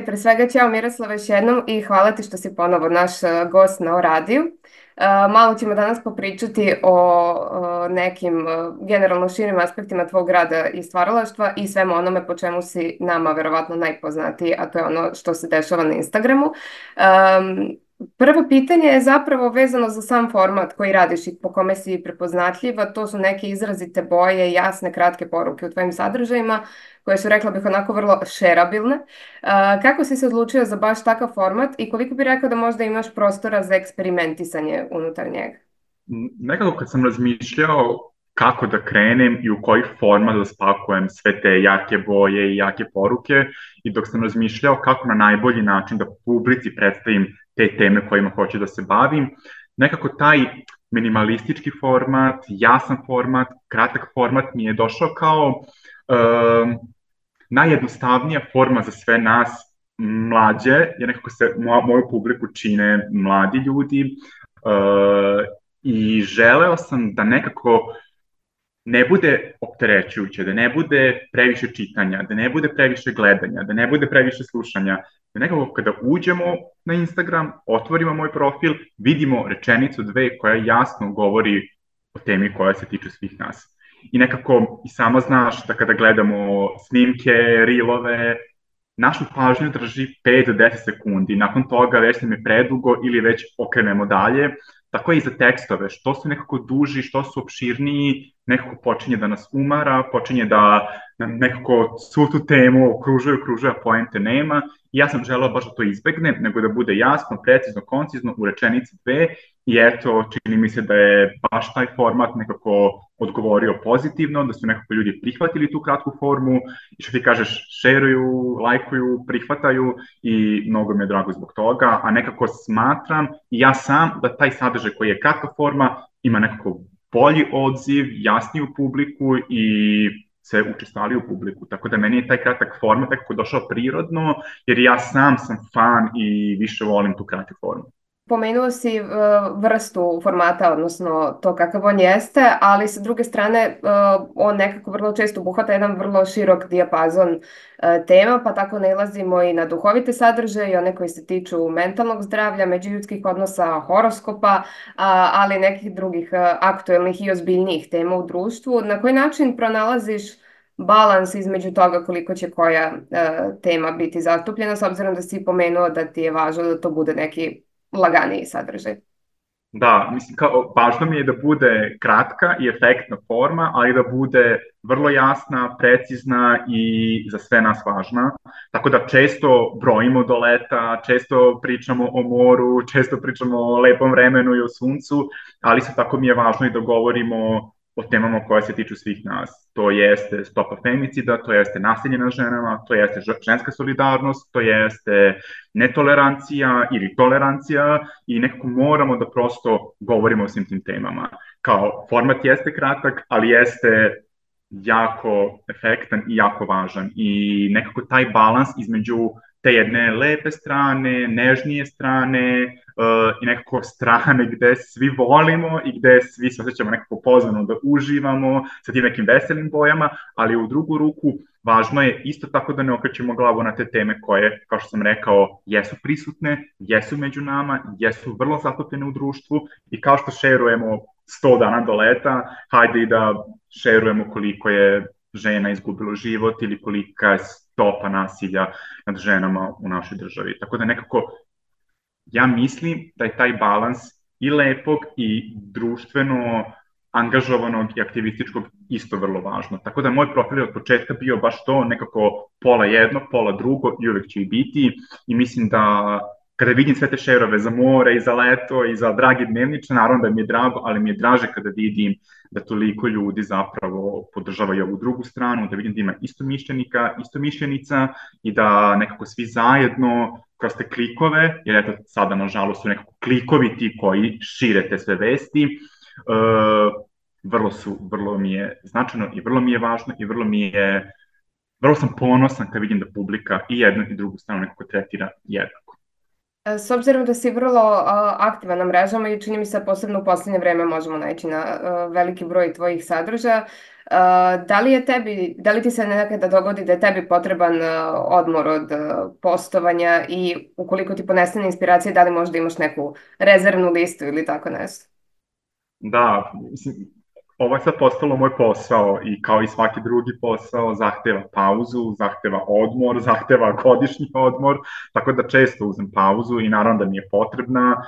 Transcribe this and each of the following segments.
pre svega ćao Miroslava još jednom i hvala ti što si ponovo naš gost na radiju. Malo ćemo danas popričati o nekim generalno širim aspektima tvog rada i stvaralaštva i svemu onome po čemu si nama verovatno najpoznatiji, a to je ono što se dešava na Instagramu. Prvo pitanje je zapravo vezano za sam format koji radiš i po kome si prepoznatljiva. To su neke izrazite boje, jasne, kratke poruke u tvojim sadržajima koje su, rekla bih, onako vrlo šerabilne. Kako si se odlučio za baš takav format i koliko bi rekao da možda imaš prostora za eksperimentisanje unutar njega? Nekako kad sam razmišljao kako da krenem i u koji format da spakujem sve te jake boje i jake poruke i dok sam razmišljao kako na najbolji način da publici predstavim te teme kojima hoću da se bavim, nekako taj minimalistički format, jasan format, kratak format mi je došao kao najjednostavnija forma za sve nas mlađe, jer nekako se moju publiku čine mladi ljudi, i želeo sam da nekako ne bude opterećujuće, da ne bude previše čitanja, da ne bude previše gledanja, da ne bude previše slušanja, da nekako kada uđemo na Instagram, otvorimo moj profil, vidimo rečenicu, dve koja jasno govori o temi koja se tiče svih nas. I nekako i sama znaš da kada gledamo snimke, reelove, našu pažnju drži 5 do 10 sekundi. Nakon toga već nam je predugo ili već okrenemo dalje. Tako je i za tekstove. Što su nekako duži, što su opširniji, nekako počinje da nas umara, počinje da nekako svu tu temu okružuje, a poente nema. I ja sam želeo baš da to izbegnem, nego da bude jasno, precizno, koncizno u rečenici dve. I eto, čini mi se da je baš taj format nekako odgovorio pozitivno, da su nekako ljudi prihvatili tu kratku formu i što ti kažeš, šeruju, lajkuju, prihvataju i mnogo mi je drago zbog toga, a nekako smatram i ja sam da taj sadržaj koji je kratka forma ima nekako bolji odziv, jasniju publiku i sve učestaliju publiku. Tako da meni je taj kratak format nekako došao prirodno, jer ja sam fan i više volim tu kratku formu. Pomenuo si vrstu formata, odnosno to kakav on jeste, ali sa druge strane on nekako vrlo često obuhvata jedan vrlo širok dijapazon tema, pa tako nailazimo i na duhovite sadržaje i one koji se tiču mentalnog zdravlja, međuljudskih odnosa, horoskopa, ali i nekih drugih aktuelnih i ozbiljnijih tema u društvu. Na koji način pronalaziš balans između toga koliko će koja tema biti zastupljena, s obzirom da si pomenuo da ti je važno da to bude neki laganiji sadržaj? Da, mislim, važno mi je da bude kratka i efektna forma, ali da bude vrlo jasna, precizna i za sve nas važna. Tako da često brojimo do leta, često pričamo o moru, često pričamo o lepom vremenu i o suncu, ali isto tako mi je važno i da govorimo o temama koje se tiču svih nas. To jeste stopa femicida, to jeste nasilje nad ženama, to jeste ženska solidarnost, to jeste netolerancija ili tolerancija i nekako moramo da prosto govorimo o svim tim temama. Kao format jeste kratak, ali jeste jako efektan i jako važan i nekako taj balans između te jedne lepe strane, nežnije strane i nekako strane gde svi volimo i gde svi se osjećamo nekako pozvano da uživamo sa tim nekim veselim bojama, ali u drugu ruku važno je isto tako da ne okrećemo glavu na te teme koje, kao što sam rekao, jesu prisutne, jesu među nama, jesu vrlo zatopljene u društvu i kao što šerujemo 100 dana do leta, hajde i da šerujemo koliko je žena izgubilo život ili kolika je stopa nasilja nad ženama u našoj državi. Tako da nekako ja mislim da je taj balans i lepog i društveno angažovanog i aktivističkog isto vrlo važno. Tako da moj profil je od početka bio baš to, nekako pola jedno, pola drugo i uvek će i biti i mislim da kada vidim sve te šerove za more i za leto i za dragi dnevniče, naravno da mi je drago, ali mi je draže kada vidim da toliko ljudi zapravo podržavaju ovu drugu stranu, da vidim da ima istomišljenika, istomišljenica i da nekako svi zajedno kroz te klikove, jer eto sada nažalost su nekako klikovi ti koji šire te sve vesti, vrlo mi je značajno i vrlo mi je važno i vrlo sam ponosan kad vidim da publika i jednu i drugu stranu nekako tretira jednako. S obzirom da si vrlo aktivan na mrežama i čini mi se posebno u posljednje vreme možemo naći na veliki broj tvojih sadržaja, da li ti se nekada dogodi da je tebi potreban odmor od postovanja i ukoliko ti ponestane inspiracije, da li možda imaš neku rezervnu listu ili tako nešto? Da, mislim, ovo je sad postalo moj posao i kao i svaki drugi posao zahteva pauzu, zahteva odmor, zahteva godišnji odmor, tako da često uzem pauzu i naravno da mi je potrebna.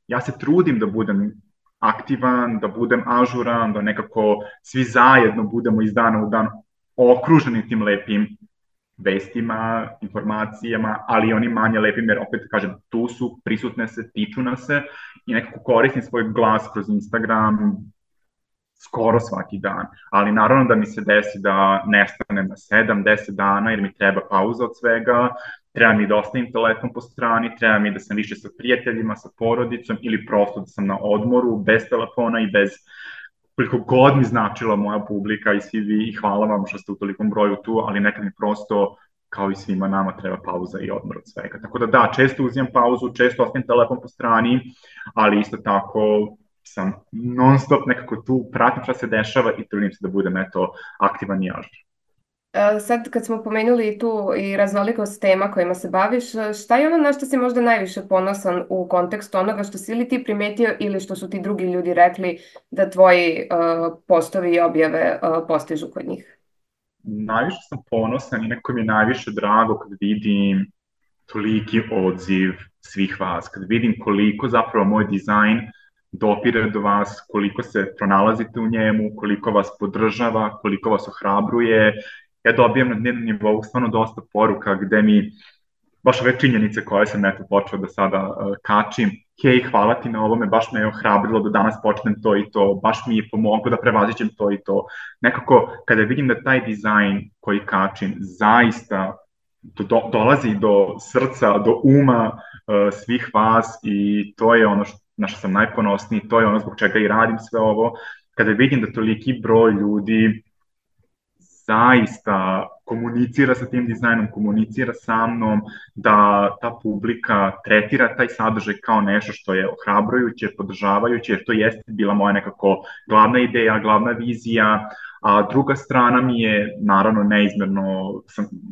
Ja se trudim da budem aktivan, da budem ažuran, da nekako svi zajedno budemo iz dana u dan okruženi tim lepim vestima, informacijama, ali i onim manje lepim, jer opet kažem, tu su, prisutne se, tiču nas se i nekako koristim svoj glas kroz Instagram skoro svaki dan. Ali naravno da mi se desi da nestanem na 7-10 dana jer mi treba pauza od svega, treba mi da ostavim telefon po strani, treba mi da sam više sa prijateljima, sa porodicom ili prosto da sam na odmoru, bez telefona i bez koliko god mi značila moja publika i svi vi, i hvala vam što ste u tolikom broju tu, ali nekad mi prosto, kao i svima nama, treba pauza i odmor od svega. Tako da da, često uzimam pauzu, često ostavim telefon po strani, ali isto tako sam non stop nekako tu, pratim šta se dešava i trudim se da budem aktivan i ažur. Sad kad smo pomenuli tu i raznolikost tema kojima se baviš, šta je ono na što si možda najviše ponosan u kontekstu onoga što si ili ti primetio ili što su ti drugi ljudi rekli da tvoji postovi i objave postižu kod njih? Najviše sam ponosan i neko mi je najviše drago kad vidim toliki odziv svih vas, kad vidim koliko zapravo moj dizajn dopire do vas, koliko se pronalazite u njemu, koliko vas podržava, koliko vas ohrabruje. Ja dobijam na dnevnom nivou stvarno dosta poruka gde mi baš ove činjenice koje sam počeo da sada kačim, hej, hvala ti na ovome, baš me je ohrabrilo da danas počnem to i to, baš mi je pomoglo da prevazićem to i to. Nekako, kada vidim da taj dizajn koji kačim zaista dolazi do srca, do uma svih vas i to je ono na što sam najponosniji, to je ono zbog čega i radim sve ovo. Kada vidim da toliki broj ljudi zaista komunicira sa tim dizajnom, komunicira sa mnom, da ta publika tretira taj sadržaj kao nešto što je ohrabrujuće, podržavajuće, jer to jeste bila moja nekako glavna ideja, glavna vizija, a druga strana mi je, naravno, neizmerno,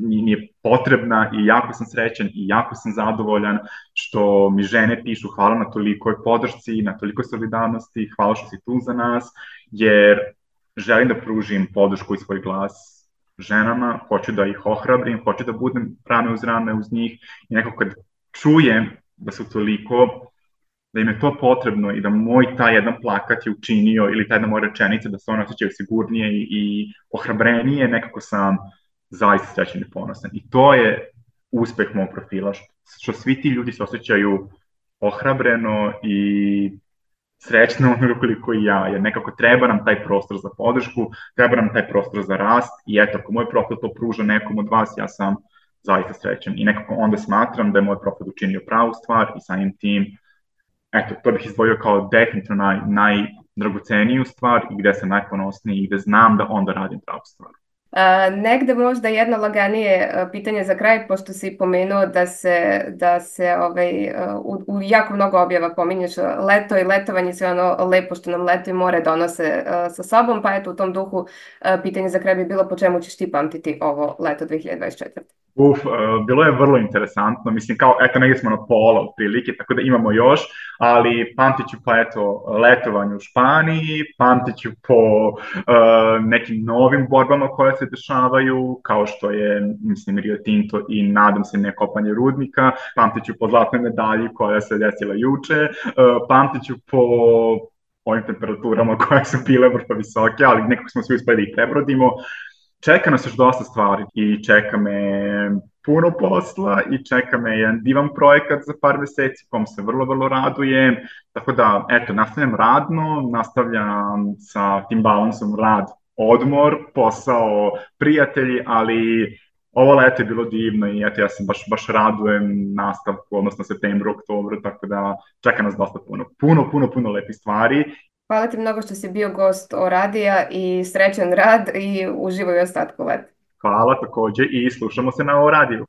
mi je potrebna i jako sam srećan i jako sam zadovoljan što mi žene pišu hvala na tolikoj podršci, na tolikoj solidarnosti, hvala što si tu za nas, jer želim da pružim podršku i svoj glas ženama, hoću da ih ohrabrim, hoću da budem rame uz rame uz njih i nekako kad čujem da su toliko, da im je to potrebno i da moj taj jedan plakat je učinio ili ta jedna moja rečenica da se one osjećaju sigurnije i ohrabrenije, nekako sam zaista srećan i ponosan. I to je uspeh mog profila, što svi ti ljudi se osjećaju ohrabreno i srećno onoga koliko i ja, jer nekako treba nam taj prostor za podršku, treba nam taj prostor za rast i eto, ako moj profil to pruža nekom od vas, ja sam zaista srećan i nekako onda smatram da je moj profil učinio pravu stvar i samim tim, eto, to bih izdvojio kao definitivno najdragoceniju stvar i gde sam najponosniji i gde znam da onda radim pravu stvar. Negde možda jedno laganije pitanje za kraj, pošto si pomenuo da se u jako mnogo objava pominješ leto i letovanje, sve ono lepo što nam leto i more donose sa sobom, pa eto u tom duhu pitanje za kraj bi bilo po čemu ćeš ti pamtiti ovo leto 2024. Bilo je vrlo interesantno, mislim kao, eto, negdje smo na pola otprilike, tako da imamo još, ali pamtit ću pa eto letovanje u Španiji, pamtit ću po nekim novim borbama koje se dešavaju, kao što je, mislim, Rio Tinto i nadam se nekopanje rudnika, pamtit ću po zlatnoj medalji koja se desila juče, pamtit ću po ovim temperaturama koje su bile vrlo visoke, ali nekako smo svi uspeli da ih prebrodimo. Čeka nas još dosta stvari i čeka me puno posla i čeka me jedan divan projekat za par meseci kom se vrlo, vrlo radujem. Tako da, eto, nastavljam radno, nastavljam sa tim balansom rad, odmor, posao, prijatelji, ali ovo leto je bilo divno i eto, ja se baš radujem nastavku, odnosno septembru, oktobru, tako da čeka nas dosta puno lepih stvari. Hvala ti mnogo što si bio gost o Radija i srećan rad i uživaj u ostatku leta. Hvala takođe i slušamo se na O Radiju.